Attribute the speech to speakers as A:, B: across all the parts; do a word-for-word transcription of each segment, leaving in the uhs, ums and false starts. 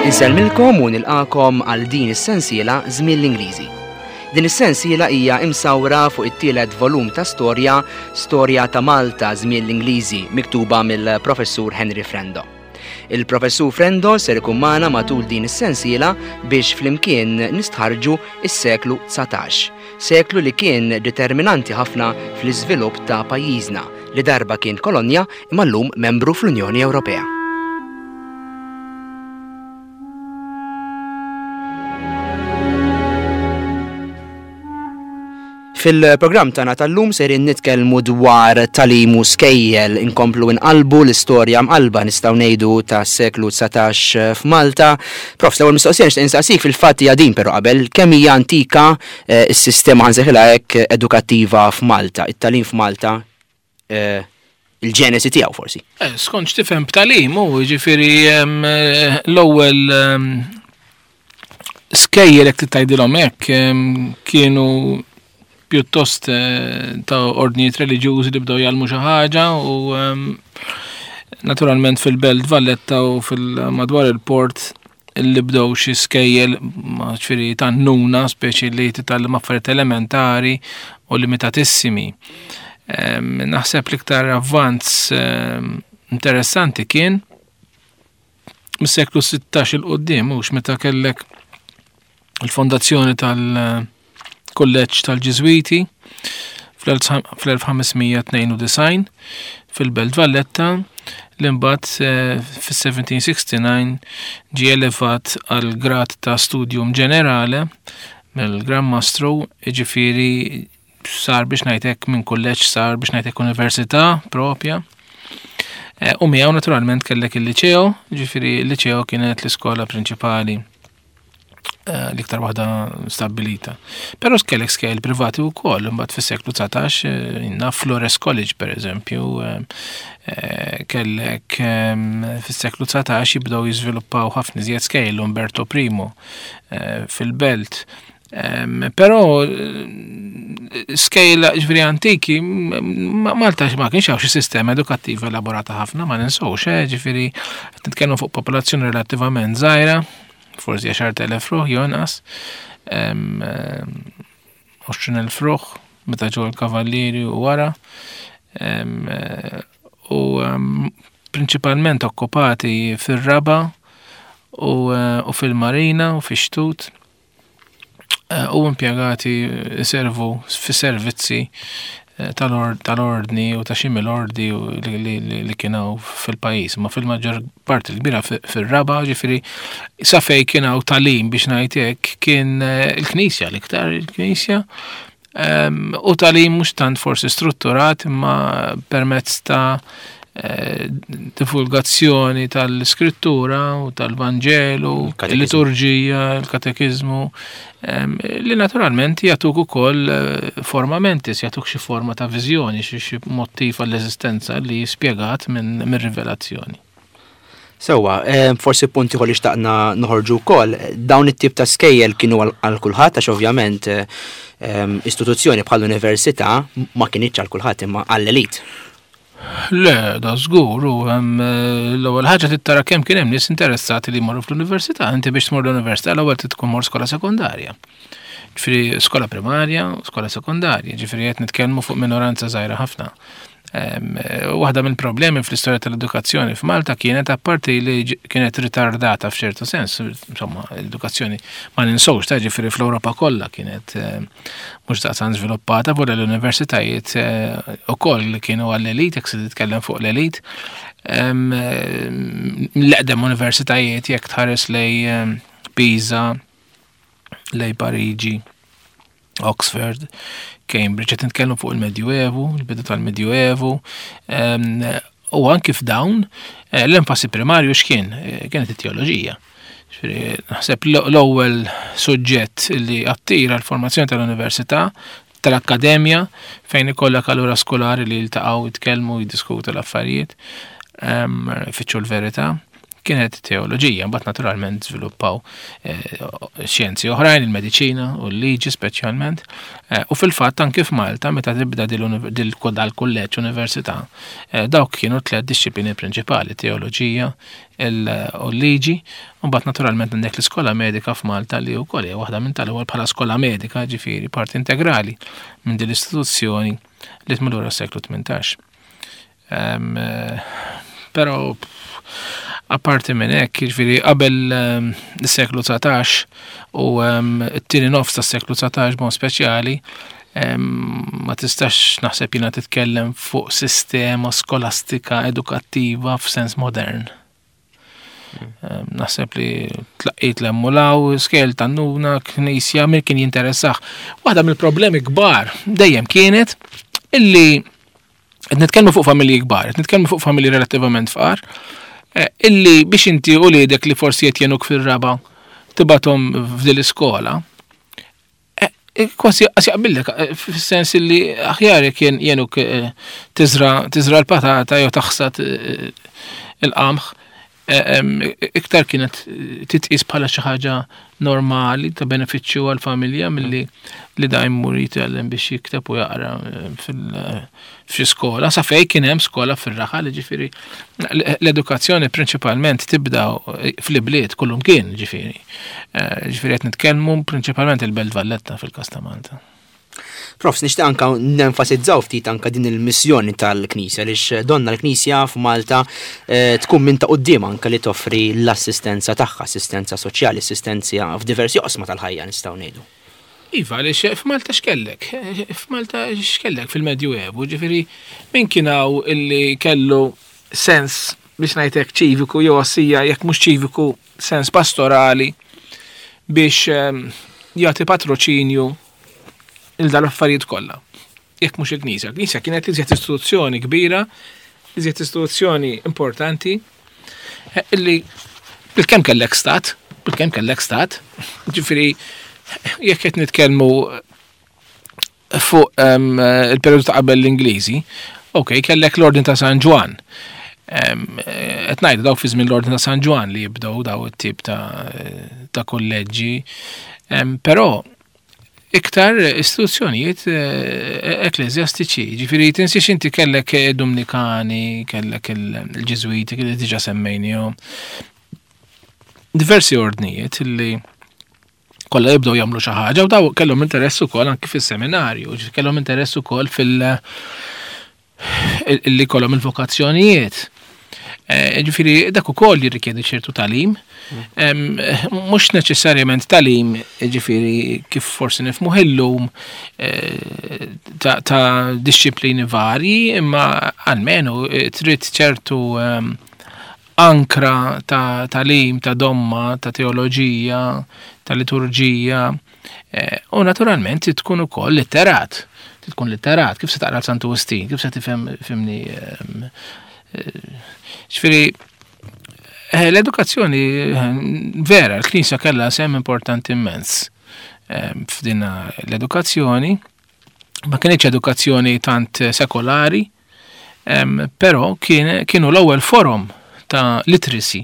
A: Insellmilkom u nilqakom għal din is-sensiela Żmien l-Ingliżi. Din is-sensiela hija imsawra fuq it-tielet volum ta' storja, Storja ta' Malta Żmien l-Ingliżi, miktuba mill-Professur Henry Frendo. Il-Professur Frendo ser ikun magħna matul din is-sensiela biex flimkien nistħarġu is-seklu dsatax, seklu li kien determinanti ħafna fl-iżvilupp ta' pajjiżna li darba kien kolonja imma llum membru fl-Unjoni Ewropea. Fil-programm tagħna tal-lum serin nitkellmu dwar tagħlim u skejjel, inkomplu nqalbu l-istorja mqalba nistgħu ngħidu tas-seklu dsatax f'Malta. Prof, l-ewwel mistoqsija nixtieq insaqsik fil-fatt hija din però qabel, kemm hija antika, eh, s-sistema ħansejħilha hekk edukattiva f'Malta, it-tagħlim f'Malta, eh, il-ġenesi tiegħu forsi.
B: Eh, skont x'tifhem b'tagħlim, hu jiġifieri, ehm, eh, l-ewwel, ehm, skejjel jekk tgħidilhom hekk, ehm, kienu pjuttost, eh, ta' ordnijiet reliġjużi li bdew jgħallmu xi ħaġa u, ehm, naturalment fil-Belt Valletta u fil-madwar il-port li bdew xi skejjel, ma ġifieri ta' nuna, speċi li titgħallem affarijiet elementari u limitatissimi. Ehm, naħseb l-iktar avvanz, ehm, interessanti kien mis-seklu sittax il quddiem, mhux meta kellek il-fondazzjoni tal-Kulleġġ tal-Ġiżwiti fl-elf ħamesmija tnejn u disgħin fil-Belt Valletta, li mbagħad, eh, fis-seventeen sixty-nine ġie elevat għal grad ta' studium ġenerale mill-Gran Mastru, jiġifieri sar biex ngħidlek minn kulleġġ sar biex ngħidlek università propja. Eh, u miegħu naturalment kellek il-liċeo, jiġifieri il-liċeo kienet l-iskola prinċipali, eh, l-iktar waħda stabbilita. Però kellek skejjel privati wkoll, imbagħad fis-seklu dsatax, eh, inna Flores College per eżempju, eh, eh, kellek, ehm, fis-seklu dsatax jibdew jiżviluppaw ħafna iżjed skejjel, Umberto Primo, eh, fil-Belt. Ehm, però, eh, skejjel ġifieri antiki, m-, m-, Malta ma kienx hawn xi sistema edukattiva elaborata ħafna, ma ninsewx, eh, ġifieri qed nitkellmu fuq popolazzjoni relattivament żgħira, forsi għaxart elef ruħ jew inqas, ehm, għoxrin elf ruħ meta ġew il-kavallieri u wara, ehm, u, ehm, prinċipalment okkupati fir-raba u, eh, u fil-marina u fix-xtut, eh, u impjegati servu fis-servizzi, eh, tal-or-, tal-ordni u ta' xi mill-ordi u li, li, li, li kien hawn fil-pajjiż, ma fil-maġġor parti l-kbira fi-, fir-raba, ġifieri sa fejn kien hawn tagħlim biex ngħid hekk kien, eh, il-Knisja, l-iktar il-Knisja, ehm, u tagħlim mhux tant forsi strutturat imma permezz ta', eh, divulgazzjoni tal-iskrittura u tal-Vanġelu,
A: Il-katekiżmu.
B: il-liturġija, il-katekiżmu, ehm, li naturalment jagħtuk ukoll, eh, forma mentis, jagħtuk xi forma ta' viżjoni, xi, xi mottiv għall-eżistenza li spjegat minn, minn rivelazzjoni.
A: Sewwa, eh, forsi punti ieħor li xtaqna noħorġu wkoll, dawn it-tip ta' skejjel kienu għal, għal kulħadd, għax ovvjament, eh, ehm, istituzzjoni bħal università ma kinitx għal kulħadd imma għall-elit.
B: Le, da żgur, u hemm, eh, l-ewwel ħaġa trid tara kemm kien hemm nies interessati li jmorru fl-università. Inti biex tmur l-università l-ewwel trid tkun mor skola sekondarja. Ġifieri skola primarja u skola sekondarja, ġifieri qed nitkellmu fuq minoranza żgħira ħafna. Ehm, eh, waħda mill-problemi fl-istorja tal-edukazzjoni f'Malta kienet apparti li ġ-, kienet ritardata f'ċertu sens, insomma, l-edukazzjoni ma ninsewx, ta' ġifieri fl-Ewropa kollha kienet, eh, mhux daqstant żviluppata, wara l-universitajiet, eh, ukoll li kienu għall-elit, jekk se titkellem fuq l-elit. Ehm, eh, l-eqdem universitajiet jekk tħares lej, ehm, Pisa, lej Pariġi, Oxford, Cambridge, qed nitkellmu fuq il-Medjuevu, il-bidu tal-Medjuevu, ehm, u anki f'dawn, eh, l-enfasi primarju x'kien? Eh, kienet it-teoloġija. Ġifieri, naħseb l-, l-ewwel suġġett li attira l-formazzjoni tal-università, tal-akkademja, fejn ikollok allura skolari li jiltaqgħu, jitkellmu, jiddiskutu l-affarijiet, ehm, ifittxu l-verità, kienet teoloġija, mbagħad naturalment żviluppaw xjenzi oħrajn, il-mediċina u l-liġi speċjalment. U fil-fatt anke f'Malta meta tibda dil-kulleġġ università, dawk kienu tliet dixxiplini prinċipali, teoloġija u l-liġi, u mbagħad naturalment għandek l-iskola medika f'Malta li wkoll hija waħda minn tal-ewwel bħala skola medika, ġifieri parti integrali minn din l-istituzzjoni li tmur lura s-seklu tmintax. Però apparti minn hekk, jiġifieri qabel is-seklu dsatax u t-tieni nofs tas-seklu dsatax b'mod speċjali, ma tistax naħseb jiena titkellem fuq sistema skolastika edukattiva f'sens modern. Naħseb li tlaqqit l-emmulaw, skel tannuna, knisja, min kien jinteressax. Waħda mill-problemi kbar dejjem kienet illi qed nitkellmu fuq familji kbar, qed nitkellmu fuq familji relattivament fqar, illi biex inti u uliedek li forsi qed jenuk fir-raba tibathom f'din l-iskola, kważi jaqbillek, fis-sens illi aħjar kien jenuk tiżra tiżra l-patata jew taħsad il-qamħ, iktar kienet titqis bħala xi ħaġa normali ta' benefiċċju għall-familja milli li da jmur jitgħallem biex jikteb u jaqra f'xi skola. Sa fejn kien hemm skola fir-raħal, ġifieri l-edukazzjoni prinċipalment tibda fl-ibliet kullum kien, ġifieri. Ġifieri qed nitkellmu prinċipalment il-Belt Valletta fil-każ ta' Malta.
A: Profs, nixtieq anka nenfasizzaw ftit anka din il-missjoni tal-Knisja, għaliex donna l-Knisja f'Malta tkun minn ta' quddiem anka li toffri l-assistenza tagħha, assistenza soċjali, assistenza f'diversi oqsma tal-ħajja nistgħu ngħidu.
B: Iva, għaliex f'Malta x'kellek? F'Malta x'kellek fil-Medjuevu, ġifieri min kien hawn illi kellu sens biex ngħidlek ċiviku jew ossija jekk mhux ċiviku sens pastorali biex jagħti patroċinju il dal-affarijiet kollha. Jekk mhux il-Knisja. Il-Knisja kienet iżjed istituzzjoni kbira, iżjed istituzzjoni importanti, illi bil-kemm kellek stat, bil-kemm kellek stat, ġifieri jekk qed nitkellmu fuq il-perjodu ta' qabel l-Ingliżi, ok, kellek l-Ordni ta' San Ġwann. Qed ngħidu dawk fi żmien l-Ordni ta' San Ġwann li jibdew daw it-tip ta' kulleġġi, però iktar istituzzjonijiet ekklesjastiċi, ġifieri tinsiex inti kellek Dominikani, kellek il-Ġiżwiti li diġà semmejnihom. Diversi ordnijiet li kollha jibdew jagħmlu xi ħaġa u daw kellhom interess ukoll anki fis-seminarju, ġifieri kellhom interess ukoll fil- illi kollhom il-vokazzjonijiet. Ġifieri dak ukoll jirrikjedi ċertu tagħlim, mhux neċessarjament tagħlim, ġifieri kif forsi nifhmu illum ta' disċiplini varji, imma almenu trid ċertu ankra ta' tagħlim, ta' domma, ta' teoloġija, ta' liturġija, u naturalment tkun ukoll litterat. Tkun litterat, kif se taqra Santu Wistin, kif se tifhem fimni. Ġifieri l-edukazzjoni vera, l-Knisja kellha sehem importanti immens f'din l-edukazzjoni. Ma kienx edukazzjoni tant sekolari, però kienu l-ewwel forum ta' literacy.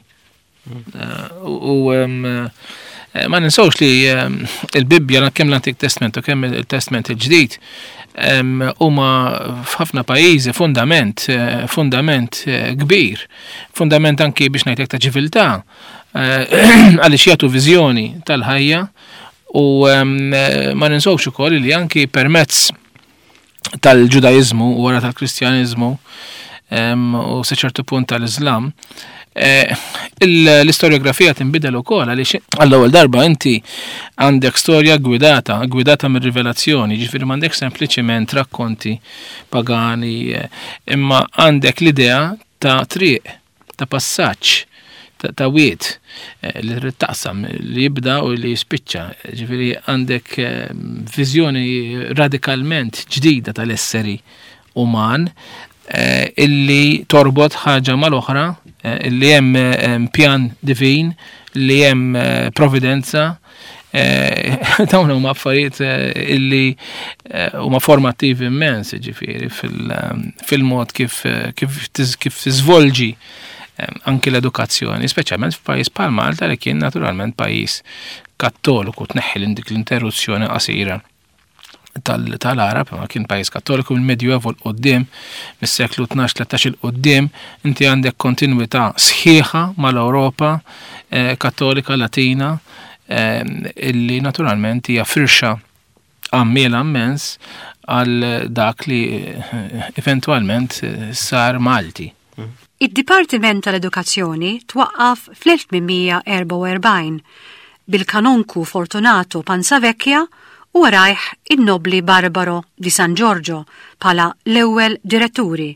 B: U ma ninsawx li il-Bibbja kemm l-Antik Testament u kemm il-Testament il-Ġdid huma f'ħafna pajjiżi fundament, fundament kbir, fundament anki biex ngħidlek ta' ċiviltà, għaliex jagħtu viżjoni tal-ħajja u ma ninsawx ukoll li anki permezz tal-Ġudaiżmu u wara tal-Kristjaniżmu u sa ċertu punt tal-Iżlam, l-istoriografija tinbidel ukoll għaliex għall-ewwel darba inti għandek storja gwidata, gwidata mir-rivelazzjoni, ġifieri m'għandek sempliċiment rakkonti pagani, imma għandek l-idea ta' triq, ta' passaġġ, ta' wied li trid taqsam, li jibda u li jispiċċa. Ġifieri għandek viżjoni radikalment ġdida tal-esseri uman illi torbot ħaġa mal-oħra, illi hemm pjan divin, li hemm providenza. Dawn huma affarijiet illi huma formattivi immens, ġifieri fil-mod kif kif tiżvolġi Anki l-edukazzjoni, speċjalment f'pajjiż bħal Malta li kien naturalment pajjiż kattoliku, tneħħi dik l-interruzzjoni qasira tal-Arab, ma kien pajjiż kattoliku mill-Medjuevo 'l quddiem, mis-seklu tnax tlettax 'il quddiem, inti għandek kontinwità sħiħa mal-Ewropa eh, kattolika latina, eh, illi naturalment hija firxa għammiela immens għal dak li eh, eventualment sar Malti.
C: Id-Dipartiment tal-Edukazzjoni twaqqaf fl-elf tmien mija erbgħa u erbgħin bil-kanonku Fortunato Panzavecchia u warajh in-nobli Barbaro di San Giorgio bħala l-ewwel diretturi.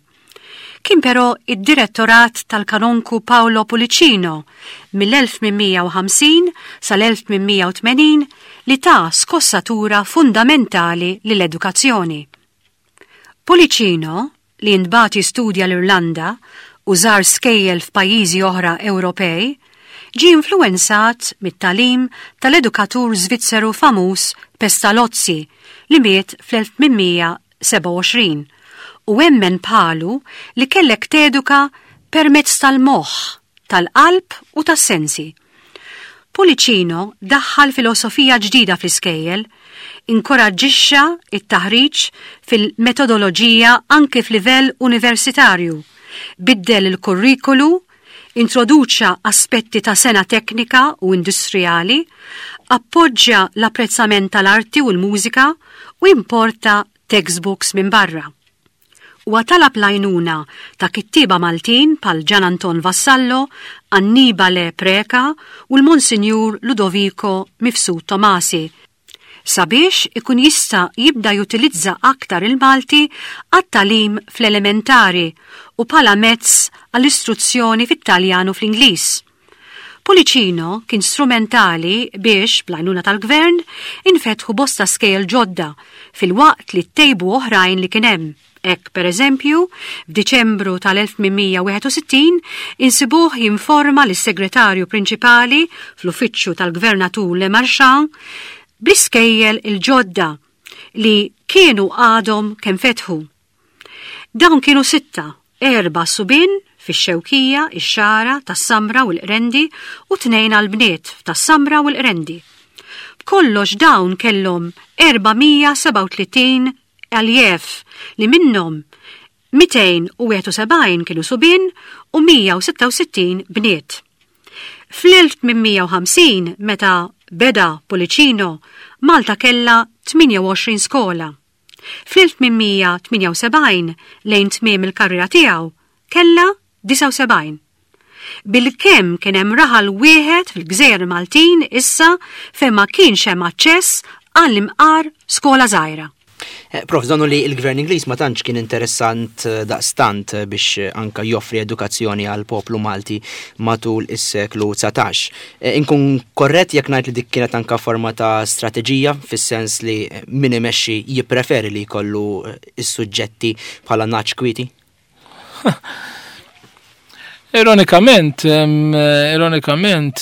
C: Kien però id-direttorat tal-kanonku Paolo Pullicino mill-elf tmien mija u ħamsin sal-elf tmien mija u tmenin li ta skossatura fundamentali lill-edukazzjoni. Pullicino, li ntbagħat jistudja l-Irlanda u żar skejjel f'pajjiżi oħra Ewropej, ġi influenzat mit-tagħlim tal-edukatur Svizzeru famuż Pestalozzi, li miet fl-elf tmien mija sebgħa u għoxrin, u emmen bħalu li kellek teduka permezz tal-moħħ, tal-qalb u tas-sensi. Pullicino daħħal filosofija ġdida fl-iskejjel, inkoraġġixxa it-taħriġ fil-metodoloġija anke f'livell universitarju, biddel il-kurrikulu, introduċa aspetti ta' sengħa teknika u industrijali, appoġġja l-apprezzament tal-arti u l-mużika u importa textbooks minn barra. U talab l-għajnuna ta' kittiba Maltin bħal Gian Anton Vassallo, Annibale Preca u l-Monsinjur Ludovico Mifsud Tomasi sabiex ikun jista' jibda jutilizza aktar il-Malti għat-tagħlim fl-elementari u bħala mezz għall-istruzzjoni fit-Taljan u fl-Ingliż. Pullicino kien strumentali biex, bl-għajnuna tal-gvern, infetħu bosta skejjel ġodda filwaqt li ttejbu oħrajn li kien hemm. Hekk, per eżempju, f'Diċembru tal-elf tmien mija wieħed u sittin insibuh jinforma lis-segretarju prinċipali fl-uffiċċju tal-gvernatur Le Marchand bl-iskejjel il-ġodda li kienu għadhom kemm fetħu. Dawn kienu sitta, erba' subien fix-Xewkija, ix-Xagħra, Tas-Samra u l-Qrendi u tnejn għal-bniet Tas-Samra u l-Qrendi. B'kollox dawn kellhom erba' mija sebgħa u tletin aljev, li minnhom mitejn u wieħed u sebgħin kienu subien u mija u sitta u sittin bniet. Fl-elf tmien mija u ħamsin, meta beda Pullicino, Malta kella tmienja u għoxrin skola. Fl-elf tmien mija tmienja u sebgħin, lejn tmiem il-karriera tiegħu, kella disgħa u sebgħin. Bil-kemm kien hemm raħal wieħed fil-Gżejjer Maltin issa fejn ma kienx hemm aċċess għall-imqar skola żgħira.
A: Eh, Prof, donnu li il-gvern Ingliż ma tantx kien interessant eh, daqstant eh, biex anka joffri edukazzjoni għal poplu Malti matul is-seklu dsatax. Inkun korrett jekk ngħid li dik kienet anka forma ta' strateġija, fis-sens li min imexxi jippreferi li jkollu is-suġġetti bħala nagħaġ kwieti?
B: Ironikament, ironikament,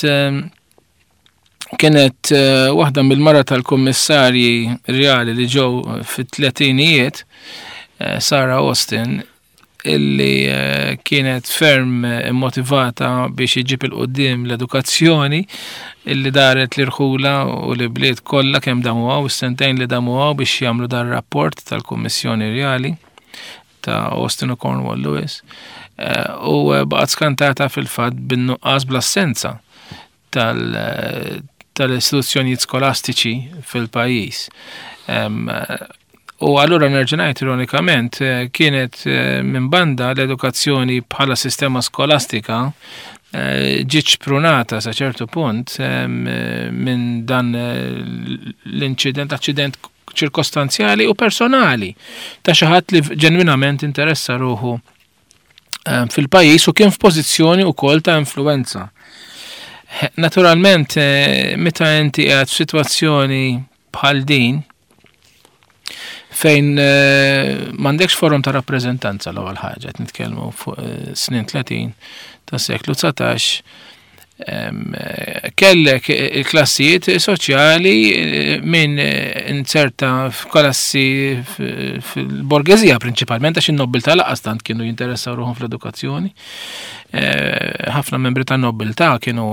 B: kienet eh, waħda mill-mara tal-kummissarji reali li ġew fit-tletinijiet, eh, Sarah Austin, illi eh, kienet ferm motivata biex iġib 'il quddiem l-edukazzjoni, illi daret l-irħula u l-bliet kollha kemm damu hawn, is-sentejn li damu hawn biex jagħmlu dar rapport tal-Kummissjoni Reali ta' Austin u Cornwall Lewis, u baqgħet skantata fil-fatt bin-nuqqas, bl-assenza tal-istituzzjonijiet skolastiċi fil-pajjiż. U allura nerġa' ngħid, ironikament eh, kienet eh, minn banda l-edukazzjoni bħala sistema skolastika eh, ġiet xprunata sa ċertu punt minn dan l-inċident, aċċident ċirkostanzjali u personali ta' xi ħadd li ġenwinament interessa ruħu fil-pajjiż u kien f'pożizzjoni wkoll ta' influenza. Naturalment, eh, meta inti qiegħed f'sitwazzjoni bħal din, fejn eh, m'għandekx forum ta' rappreżentanza, l-ewwel ħaġa, qed nitkellmu fuq eh, snin tletin tas seklu dsatax, Kellek il-klassijiet soċjali minn inserta f'klassi fil-borgeżija prinċipalment, għax in-nobiltà lanqas tant kienu jinteressaw ruħhom fl-edukazzjoni. Ħafna membri tan-nobiltà kienu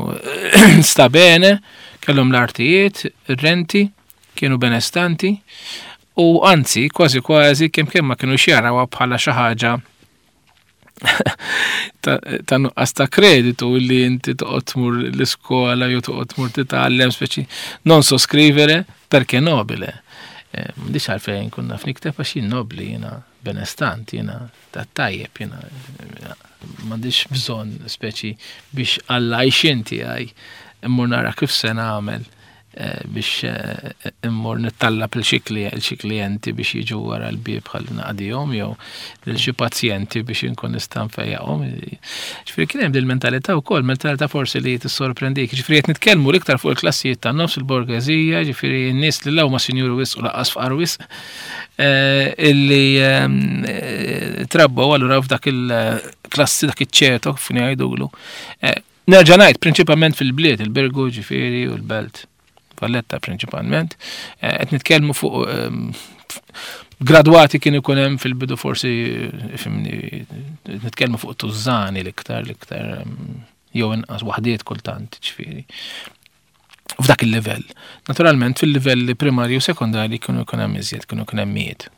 B: sta bene, kellhom l-artijiet, ir-renti, kienu benestanti, u anzi, kważi kważi kemm kemm ma kienu jarawha bħala xi ħaġa ta' nuqqas ta' kreditu li inti toqgħod tmur l-iskola jew toqgħod tmur titgħallem, speċi "non so scrivere perché nobile". M'għandix għalfejn nkun naf nikteb għax jien nobli, jiena benestant, jiena ta' tajjeb, jiena m'għandix bżonn speċi biex għall-għajxien tiegħi immur nara kif se nagħmel biex immur nittallab lil xi klijenti biex jiġu wara l-bieb ħalli naqdihom jew lil xi pazjenti biex inkun nista' nfejjaqhom. Ġifieri kien hemm dil-mentalità wkoll, mentalità forsi li tissorprendik. Ġifieri qed nitkellmu l-iktar fuq il-klassijiet tan-nofs, il-borgeżija, ġifieri n-nies li la huma sinjuri wisq u lanqas fqar wisq, illi trabbew allura f'dak il-klassi, dak iċ-ċeto kif ngħidulu. Nerġa' ngħid, prinċipalment fil-bliet, il-Birgu ġifieri u l-Belt Valletta prinċipalment. Qed nitkellmu fuq gradwati kien ikun hemm fil-bidu forsi, fhimni, nitkellmu fuq tużżani l-iktar, l-iktar jew inqas waħdiet kultant, ġifieri. F'dak il-livell. Naturalment fil-livelli primarju u sekondarji kienu jkun hemm iżjed, kienu jkun hemm mijiet.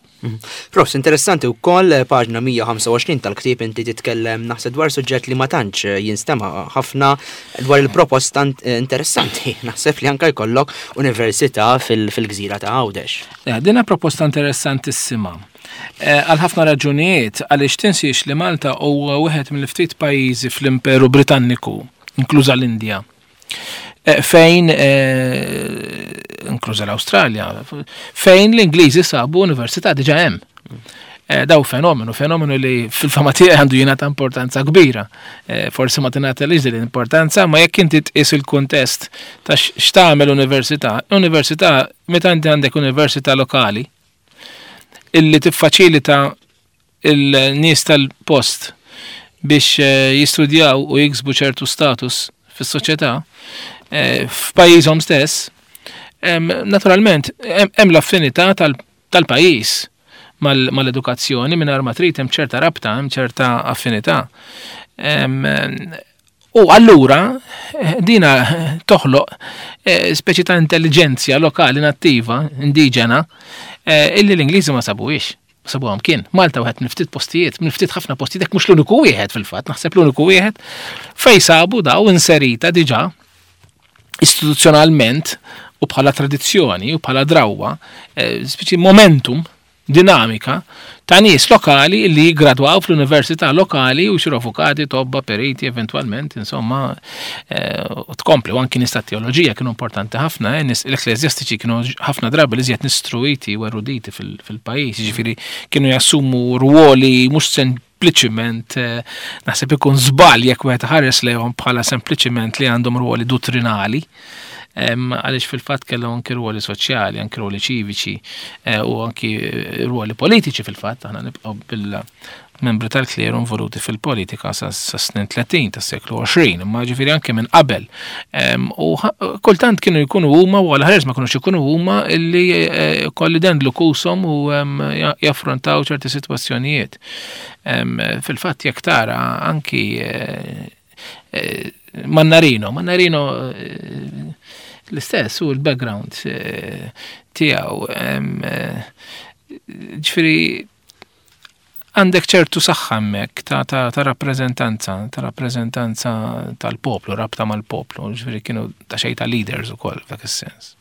A: Profs, interessanti wkoll paġna mija u ħamsa u għoxrin tal-ktieb inti titkellem, naħseb, dwar suġġett li ma tantx jinstema' ħafna, dwar il-proposta interessanti. Naħseb li anka jkollok università fil-gżira ta' Għawdex.
B: Dina proposta interessantissima. Għal ħafna raġunijiet, għaliex tinsiex li Malta huwa wieħed mill-ftit pajjiżi fl-Imperu Britanniku, inkluża l-Indja, fejn, inkluża l-Awstralja, fejn l-Ingliżi sabu università diġà hemm. Daw fenomenu, fenomenu li fil-fehma tiegħi għandu jingħata importanza kbira. Forsi ma tingħata din l-importanza, ma jekk inti tqis il-kuntest ta' x'tagħmel università, università, meta inti għandek università lokali illi tiffaċilita il-nies tal-post biex jistudjaw u jiksbu ċertu status fis-soċjetà f'pajjiżhom stess, naturalment hemm l-affinità tal-pajjiż mal-edukazzjoni, mingħajr ma trid hemm ċerta rabta, hemm ċerta affinità. U allura dina toħloq speċi ta' intelliġenzja lokali nattiva, indiġena, illi l-Ingliżi ma sabuhiex. Sabuhom kien. Malta wieħed minn ftit postijiet, minn ftit ħafna postijiet, jekk mhux l-uniku wieħed fil-fatt, naħseb l-uniku wieħed fej sabu daw inserita diġà istituzzjonalment u bħala tradizzjoni u bħala drawwa, speċi momentum, dinamika ta' nies lokali li jigradwaw fl-università lokali u jsiru avukati, tobba, periti, eventualment, insomma, u tkompli, u anki nies ta' teoloġija kienu importanti ħafna, nies l-ekkleżjastiċi kienu ħafna drabi li iżjed istruiti u eruditi fil-pajjiż, jiġifieri kienu jassumu ruoli mhux sempliċiment, naħseb ikun żball jekk wieħed ħares lejhom bħala sempliċiment li għandhom ruoli dottrinali, għaliex fil-fatt kellhom anki ruoli soċjali, anki ruoli ċiviċi u anki ruoli politiċi fil-fatt, aħna nibqgħu bil-membri tal-kleru involuti fil-politika sa snin tletin tas-seklu għoxrin, imma ġifieri anke minn qabel. U kultant kienu jkunu huma, u għal ħares ma kinux ikunu huma illi kolli dendlu kushom u jaffrontaw ċerti sitwazzjonijiet. Fil-fatt jekk tara anki Mannarino, Mannarino l-istess u l-background tiegħu. Ġifieri għandek ċertu saħħa hemmhekk ta', ta, ta' rappreżentanza, ta' rappreżentanza tal-poplu, rabta mal-poplu, ġifieri kienu ta' xejn ta' leaders ukoll f'dak is-sens.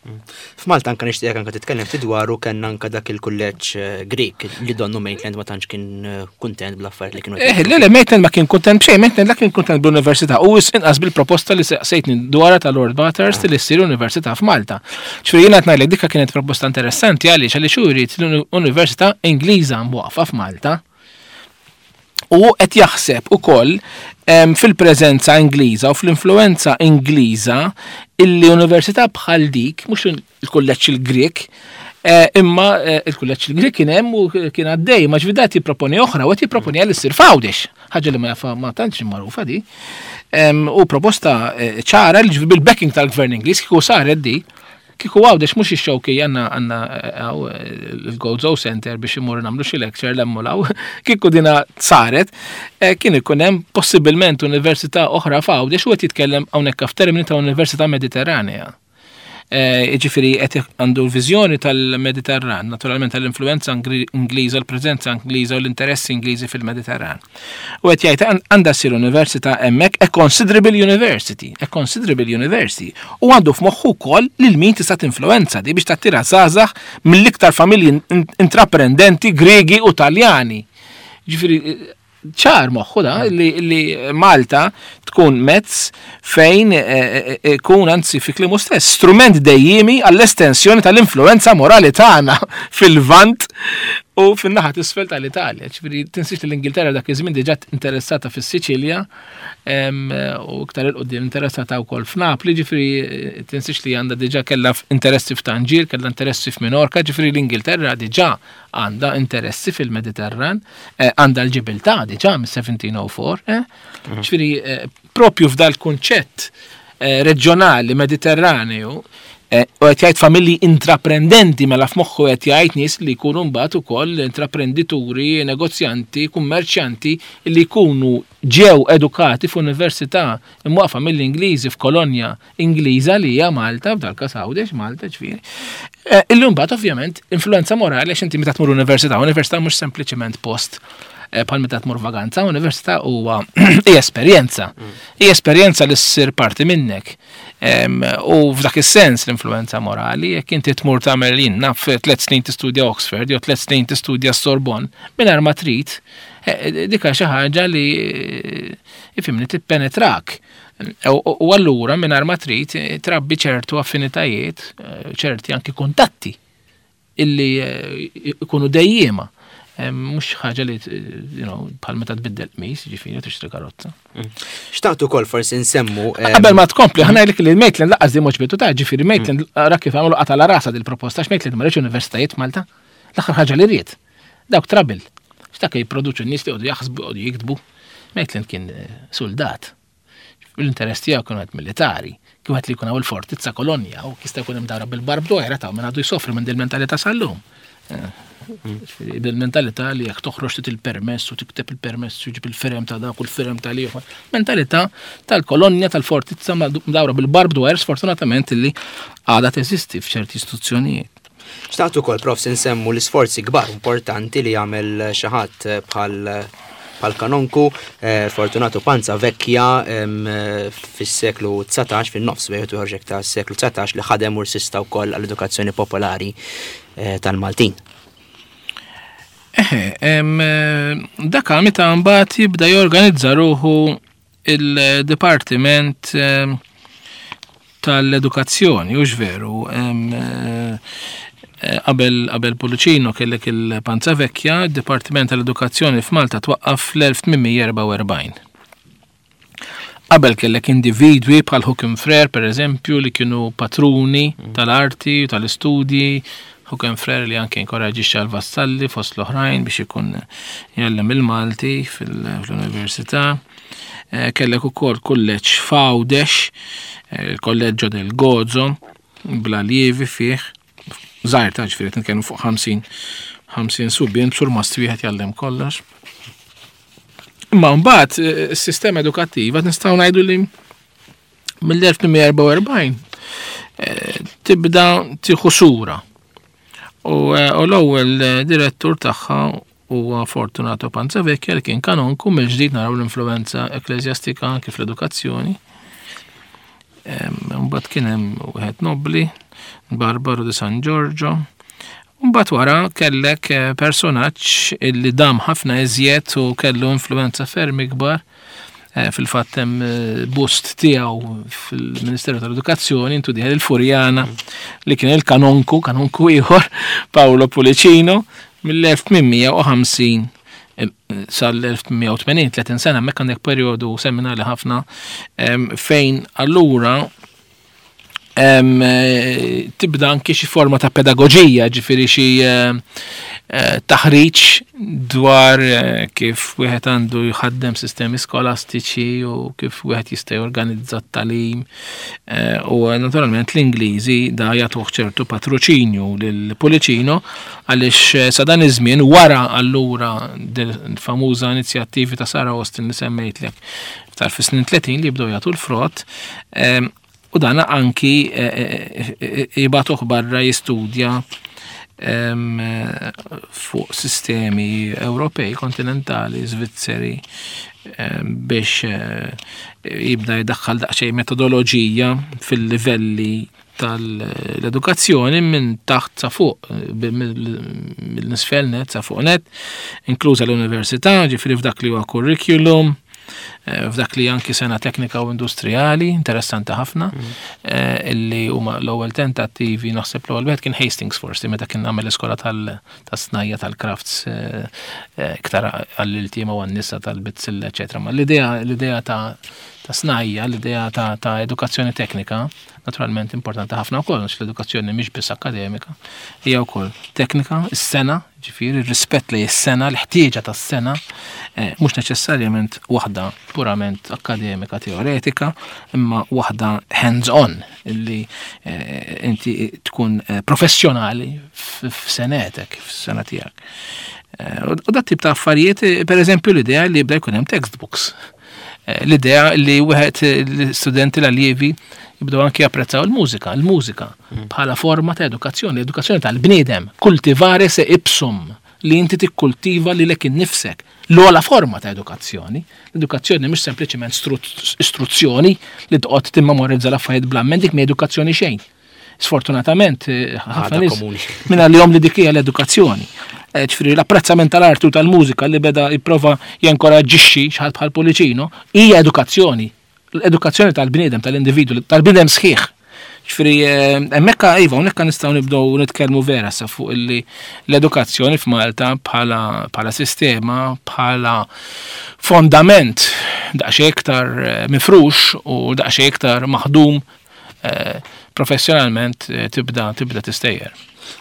A: F'Malta anka nixtieq anka titkellem ftit dwaru, kellna anka dak il-kulleġġ Grik li donnu Maitland ma tantx kien kuntent bl-affarijiet li kienu.
B: Eh, le, le, Maitland ma kien kuntent b'xejn, Maitland la kien kuntent bl-università u inqas bil-proposta li sejtni dwarha ta' Lord Bathurst li ssir università f'Malta. Ġifieri jiena qed ngħidlek dikka kienet proposta interessanti għaliex għaliex hu jrid l-Università Ingliża mwaqqfa f'Malta. U qed jaħseb ukoll fil-preżenza Ingliża u fl-influenza Ingliża illi università bħal dik, mhux il-kulleġġ il-Grek, Imma il-kulleġġ il-Grieg kien hemm u kien għaddej, ma ġifieri jipproponi oħra u qed jipproponi għal issir f'Għawdex, ħaġa li ma jafa ma tantx magħrufa di. U proposta ċara li ġifieri bil-backing tal-Gvern Ingliż kieku saret di, kieku Għawdex mhux ix-xewki għandna għandna il-Gozo Center biex imorru nagħmlu xi lecture l-emmulaw, kieku dina saret, kien ikun hemm possibilment università oħra f'Għawdex u qed jitkellem hawnhekk f'termini ta' Università Mediterranea. Jiġifieri qed għandu l-viżjoni tal-Mediterran, naturalment tal-influenza Ingliża, l-preżenza Ingliża u l-interessi Ingliżi fil-Mediterran. U qed jgħid għandha ssir università hemmhekk, a considerable university, a considerable university. U għandu f'moħħu wkoll lil min tista' tinfluenza di biex tattira żgħażagħ mill-iktar familji intraprendenti Griegi u Taljani. Ġifieri ċar moħħu da li, li Malta tkun mezz fejn ikun anzi fi kliemu stess strument dejjimi għall-estensjoni tal-influenza morali tagħna fil-Lvant u fin-naħa t'isfel tal-Italja. Ġifieri tinsiex li l-Ingilterra dak iż-żmien diġà interessata fis-Siċilja u iktar 'il quddiem interessata wkoll f'Napli, ġifieri tinsiex li għandha diġà kellha interessi f'Tanġir, kellha interessi f'Minorka, ġifieri l-Ingilterra diġà għandha interessi fil-Mediterran, għandha l-Ġibiltà diġà mis-seventeen oh four, eh? Ġifieri propju f'dal kunċett reġjonali Mediterraneu, u qed jgħid familji intraprendenti, mela f'moħħu qed jgħid nies li jkunu mbagħad ukoll intraprendituri, negozjanti, kummerċjanti li jkunu ġew edukati f'università imwaqfa mill-Ingliżi f'kolonja Ingliża li hija Malta, f'dal każ Għawdex, Malta ġifieri. Illum mbagħad ovvjament influenza morali għax inti meta tmur università, università mhux sempliċement post bħal meta tmur vaganza, università huwa hija esperjenza. Hija esperjenza li ssir parti minnek. U f'dak is-sens l-influenza morali, jekk inti tmur tagħmel jien naf tliet snin tistudja Oxford jew tliet snin tistudja Sorbonne, mingħajr ma trid, dika xi ħaġa li ifhimni tippenetrak. U allura mingħajr ma trid trabbi ċertu affinitajiet, ċerti anki kuntatti illi ikunu dejjiema. Mhux ħaġa li, you know, bħal meta tbiddel qmis, ġifieri tixtri karozza.
A: Xtaqt ukoll forsi nsemmu,
B: Qabel ma tkompli, ħa ngħidlek li Maitland laqqas di moġbitu ta' ġifieri Maitland ra kif għamlu qata' la rasa dil-proposta, għax Maitland ma riedx universitajiet Malta. L-aħħar ħaġa li ried. Dawk trouble. X'dak jipproduċu n-nies li jqogħdu jaħsbu, jqogħdu jiktbu. Maitland kien soldat. L-interess tiegħu kienu qed militari, kien qed li jkun hawn il-fortizza kolonja u jista' jkun hemm dawra bil-barbed wire ta' minn għadu jsofri minn dil-mentalità sal-lum. Bil-mentalità li jekk toħroġ tit il-permess u tikteb il-permess u ġib il-firem ta' dak u l-firem ta' ieħor. Mentalità tal-kolonja tal-fortizza mdawra bil-barbed wire sfortunatament illi għadha teżisti f'ċerti istituzzjonijiet.
A: Xtaqt ukoll, Prof, nsemmu l-isforzi kbar importanti li jagħmel xi ħadd bħal bħal kanonku, eh, Fortunato Panza Vecchia, em, fis-seklu dsatax, fin-nofs wieħed ieħor ta' seklu dsatax, li ħadem u rsista wkoll għall-edukazzjoni popolari, eh, tal-Maltin.
B: Eħe, em, dak meta mbagħad jibda jorganizza ruħu il-Dipartiment, em, tal-Edukazzjoni, hux veru, em, eh, qabel, qabel Pullicino kellek il-Panza Vecchia, il-Dipartiment tal-Edukazzjoni f'Malta twaqqaf fl-elf tmien mija erbgħa u erbgħin. Qabel kellek individwi bħal Hookham Frere, per eżempju, li kienu patruni
A: Mm.
B: tal-arti u tal-istudji, Hookham Frere li anke inkoraġixxa l-Vassalli fost l-oħrajn biex ikun jgħallem il-Malti fil-università. Eh, kellek ukoll kulleġġ f'Għawdex, eh, il-Kolleġġo del Gozo, bla lievi fih, żgħir ta' ġifieri qed nitkellmu fuq ħamsin, ħamsin subien, surmast wieħed jgħallem kollox. Imma mbagħad, eh, is-sistema edukattiva nistgħu ngħidu li mill-elf tmien mija erbgħa u erbgħin, eh, tibda tieħu sura. U, eh, u l-ewwel, eh, direttur tagħha huwa Fortunato Panza Vecchia li kien kanonku, mill-ġdid naraw l-influenza ekklesjastika anke fl-edukazzjoni. Em, Mbagħad kien hemm wieħed nobli, Barbaro di San Giorgio. Mbagħad wara kellek, eh, personaġġ illi dam ħafna iżjed u kellu influenza ferm ikbar. Eh, fil-fatt hemm, eh, bust tiegħu fil-Ministeru tal-Edukazzjoni, intu dieħel il-Furjana li kien il-kanonku, kanonku ieħor, Paolo Pullicino, mill-elf tmien mija u ħamsin, eh, sal-elf tmien mija u tmenin, tletin sena, hemmhekk għandek perjodu seminali ħafna, em, fejn allura Eh, tibda anki xi forma ta' pedagoġija, ġifieri xi eh, eh, taħriġ dwar kif wieħed għandu jħaddem sistemi skolastiċi u kif wieħed jista' jorganizza t-tagħlim. U naturalment l-Ingliżi da jagħtuh ċertu patroċinju lil Pullicino, għaliex sa dan iż-żmien, wara allura famuża inizjattivi ta' Sarah Austin li semmejtlek iktar fis-snin tletin li jibdew jagħtu l-frott, u dana anki jibagħtuh barra jistudja fuq sistemi Ewropej, kontinentali, Svizzeri, biex jibda jdaħħal daqsxejn metodoloġija fil-livelli tal-edukazzjoni minn taħt sa fuq, mill-nisfel net sa fuq net, inkluża l-università, ġifieri f'dak li huwa curriculum, f'dak li anki sena teknika u industrijali, interessanti ħafna, mm. illi huma l-ewwel tentattivi. Naħseb l-ewwel wieħed kien Hastings forsi, meta kien għamel l-iskola tas-snajja, tal-crafts, iktar għall-iltiema u għan-nisa tal-bizzilla, eċetera. Ma l-idea l-idea ta' ta' snajja, l-idea ta', ta edukazzjoni teknika, naturalment importanti ħafna wkoll, għax l-edukazzjoni mhix biss akademika, hija wkoll teknika, is-sengħa, ġifieri ir-rispett li s-sengħa, l-ħtieġa tas-sengħa, eh, mhux neċessarjament waħda purament akademika teoretika, imma waħda hands-on, illi eh, inti tkun eh, professjonali f'sengħetek, f'sengħa tiegħek. U dat tip ta' affarijiet, per eżempju l-idea li jibda jkun hemm textbooks, l-idea li wieħed l-studenti, l-allievi jibdew anki japprezzaw il-mużika, il-mużika mm. bħala forma ta' edukazzjoni, edukazzjoni tal-bniedem, cultivare se ipsum, li inti tikkultiva lilek innifsek. L-ogħla forma ta' edukazzjoni. L-edukazzjoni mhux sempliċement istruzzjoni li toqgħod timmemorizza l-affarijiet bl-amment, dik mhi edukazzjoni xejn. Sfortunatament, eh, ħafna nies minna li li dik hija l-edukazzjoni. Eh, ġifieri l-apprezzament tal-arti u tal-mużika li beda jipprova jenkoraġġixxi xi ħadd bħal Pullicino hija edukazzjoni. L-edukazzjoni tal-bniedem, tal-individu, tal-bniedem sħiħ. Ġifieri, eh, hemmhekk, iva, hawnhekk nistgħu nibdew nitkellmu vera sa fuq illi l-edukazzjoni f'Malta bħala, bħala sistema, bħala fondament daqsxejn iktar eh, mifrux u daqsxejn iktar maħdum professjonalment tibda tibda tistejjer.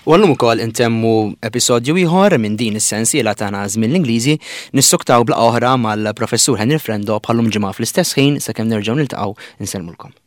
A: U għallum ukoll intemmu episodju ieħor minn din is-sensiela tagħna Żmien l-Ingliżi. Nissuktaw bla oħra mal-professur Henry Frendo bħallum ġimgħa fl-istess ħin. Sakemm nerġgħu niltaqgħu, insellmulkom.